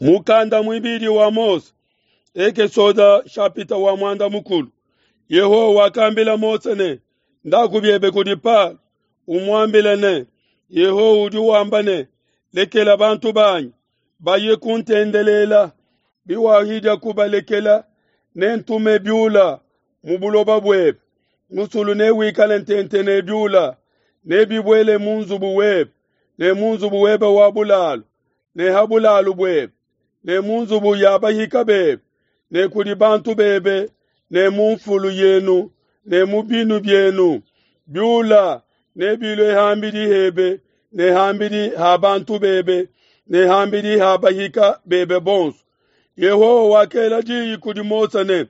Mukanda muibidi wa Mose, Ekesoda shapita wa muanda mukulu. Yehowa wakambila Mose ne, Ndaku biebe kudi Palo, umuambile ne, Yehowa udi wamba ne, Lekela bantu banyi baye kuntendelela. Biwahidia kubalekela, nentume biula mu buloba buebe. Musulu newikale ntente ne biula, nebibuele mu nzubu webe ne mu nzubu webe wa bulalu ne ha bulalu buebe ne mu nzubu ya bahika bebe ne kudi bantu bebe ne mu nfulu yenu ne mu binu bienu. Biula nebilue ham'bidi hebe ne ham'bidi ha bantu bebe ne ham'bidi ha bahika bebe bonso. Yehowa wakela diyi kudi Mose ne,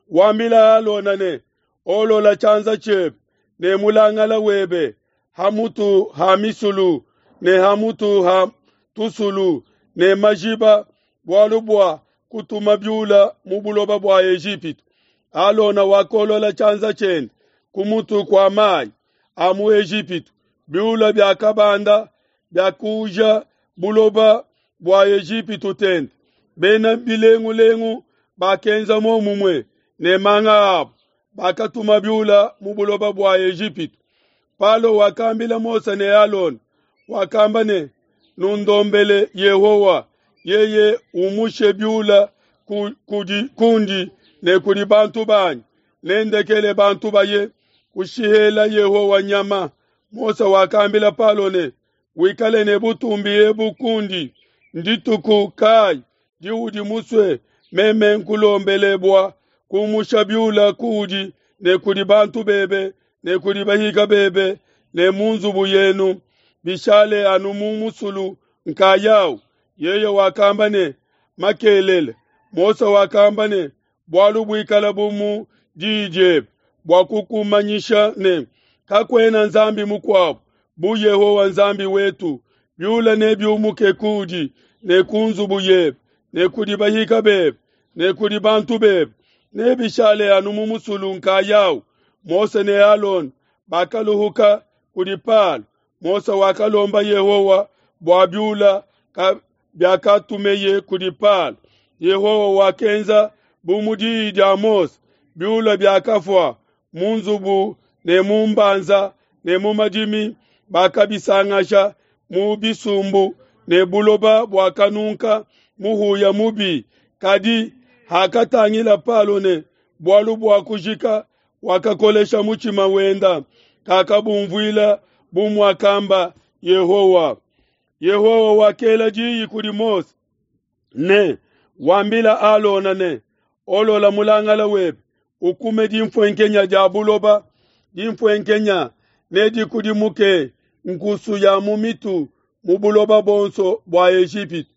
Wambila Alona ne, Olola tshianza tshiebe ne mulangala webe ha mutu ha misulu ne ha mutu ha tusulu ne majiba, bualu bua kutuma biula mu buloba bua Ejipitu. Alona wakolola tshianza tshiende ku mutu kua mayi a mu Ejipitu, biula biakabanda biakuuja buloba bua Ejipitu tente. Bena bilengulengu bakenza muomumue ne manga abo, bakatuma biula mu buloba bua Ejipitu. Palo wakambila Mose ne Alona, wakamba ne, Nundombele Yehowa, yeye umushe biula kudi kundi ne kudi bantu banyi, nendekele bantu baye kushihela Yehowa nyama. Mose wakambila Palo ne, Wikale ne butumbi ebu kundi, ndituku kayi diudi musue meme nkulombele bua kumusha biula kuudi ne kudi bantu bebe ne kudi bahika bebe ne mu nzubu yenu, bishale anu mu musulu nkayawu? Yeye wakamba ne, Makelele. Mose wakamba ne, Bualu buikala bu mu diyi diebe bua kukumanyisha ne, kakuena Nzambi mukuabu bu Yehowa Nzambi wetu. Biula nebiumuke kuudi ne ku nzubu yebe ne kudi bahika bebe ne kudi bantu bebe, nebishale anu mu musulu nkayawu. Mose ne Alona bakaluhuka kudi Palo. Mose wakalomba Yehowa bua biula biakatumeye kudi Palo. Yehowa wakenza bu mu diyi dia Mose, biula biakafua mu nzubu ne mu mbanza ne mu madimi, bakabisangasha mu bisumbu, ne buloba buakanunka muhuya mubi. Kadi hakatangila Palo ne bualu buakujika, wakakolesha mutshima wenda, kakabumvuila bu muakamba Yehowa. Yehowa wakela diyi kudi Mose ne, Wambila Alona ne, Olola mulangala webe, ukume dimfuenkenya dia buloba, dimfuenkenya nedikudimuke nkusu ya mu mitu mu buloba buonso bua Ejipitu.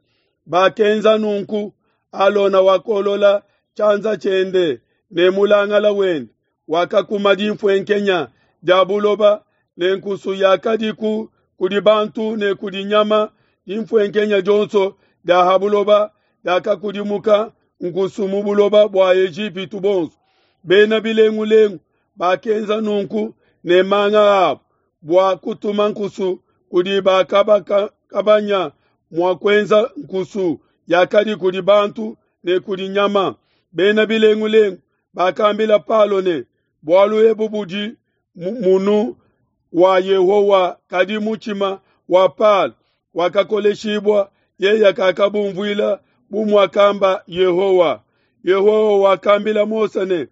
Bakenza nunku, Alona wakolola tshianza tshiende ne mulangala wende, wakakuma dimfuenkenya dia buloba ne nkusu yakadiku kudi bantu ne kudi nyama. Dimfuenkenya dionso dia ha buloba diakakudimuka nkusu mu buloba bua Ejipitu bonso. Bena bilengulengu bakenza nunku ne manga abo bua kutuma nkusu kudi bakabanya mua kuenza nkusu yakadi kudi bantu ne kudi nyama. Bena bilengulengu bakambila Palo ne, Bualu ebu budi munu wa Yehowa. Kadi mutshima wa Palo wakakoleshibua, yeye kakabumvuila bu muakamba Yehowa. Yehowa wakambila Mose ne,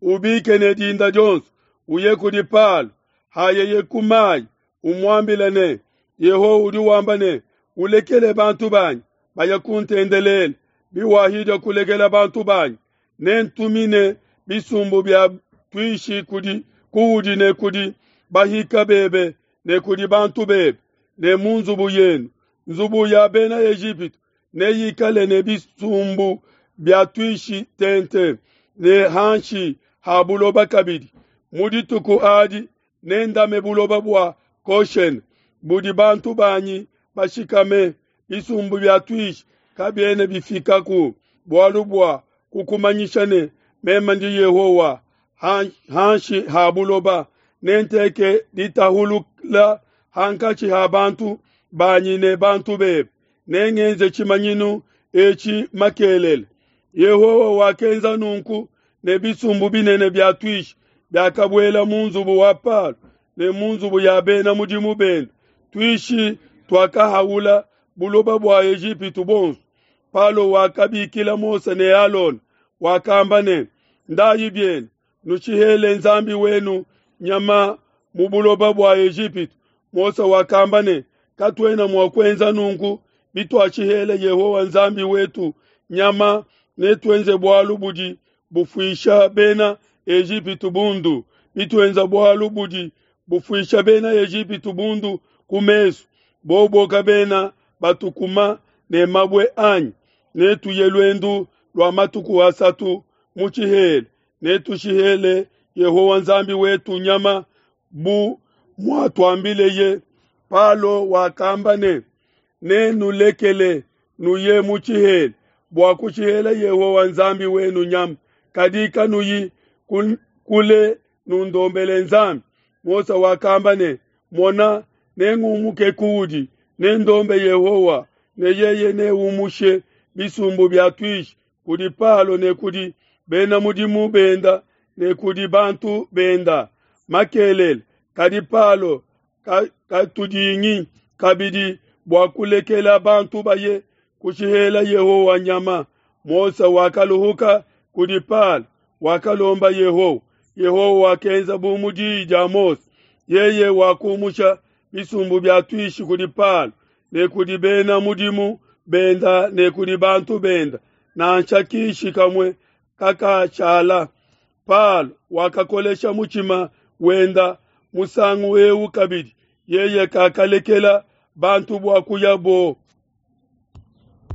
Ubike ne dinda dionso, uye kudi Palo, hayeye ku mayi, umuambile ne, Yehowa udi wamba ne, Ulekele bantu banyi baye kuntendelela. Biwahidia kulekela bantu banyi, nentumine bisumbu bia tuishi kudi kuudi ne kudi bahika bebe ne kudi bantu bebe ne mu nzubu yenu. Nzubu ya bena Ejipitu neyikale ne bisumbu bia tuishi tente ne hanshi ha buloba kabidi. Mu dituku adi nendame buloba bua Goshene budi bantu banyi bashikame. Bisumbu bia tuishi kabiena bifikaku, bualu bua kukumanyisha ne, meme ndi Yehowa. Hanshi ha buloba nenteke ditahulula hankatshi ha bantu banyi ne bantu bebe. Nengenze tshimanyinu. etshi makelela. Yehowa wakenza nunku ne bisumbu binene bia tuishi biakabuela mu nzubu wa Palo ne mu nzubu ya bena mudimu bende. Tuishi tuakahaula buloba bua Ejipitu buonso. Palo wakabikila Mose ne Alona, wakamba ne, Ndayi bienu, nushihele Nzambi wenu nyama mu buloba bua Ejipitu. Mose wakamba ne, Katuena mua kuenza nunku bituashihela Yehowa Nzambi wetu nyama, netuenze bualu budi bufuisha bena Ejipitu bundu, bituenza bualu budi bufuisha bena Ejipitu bundu ku mesu, bobo kabena batukuma ne mabue anyi? Netuye luendu lua matuku asatu mu tshihela, netushihele Yehowa Nzambi wetu nyama bu muatuambileye. Palo wakamba ne, Nenulekele nuye mu tshihela bua kushihela Yehowa Nzambi wenu nyama, kadi kanuyi kule nundombele Nzambi. Mose wakamba ne, Mona, nengumuke kuudi, nendombe Yehowa, ne yeye neumushe bisumbu bia tuishi kudi Palo ne kudi bena mudimu benda ne kudi bantu benda makelele. Kadi Palo katudingi kabidi bua kulekela bantu baye kushihela Yehowa nyama. Mose wakaluhuka kudi Palo, wakalomba Yehowa. Yehowa wakenza bu mu diyi dia Mose. Yeye wakumusha bisumbu bia tuishi kudi Palo ne kudi bena mudimu benda ne kudi bantu benda, nansha kishi kamue kakashala. Palo wakakolesha mutshima wenda musangu eu kabidi, yeye kakalekela bantu bua kuyabo.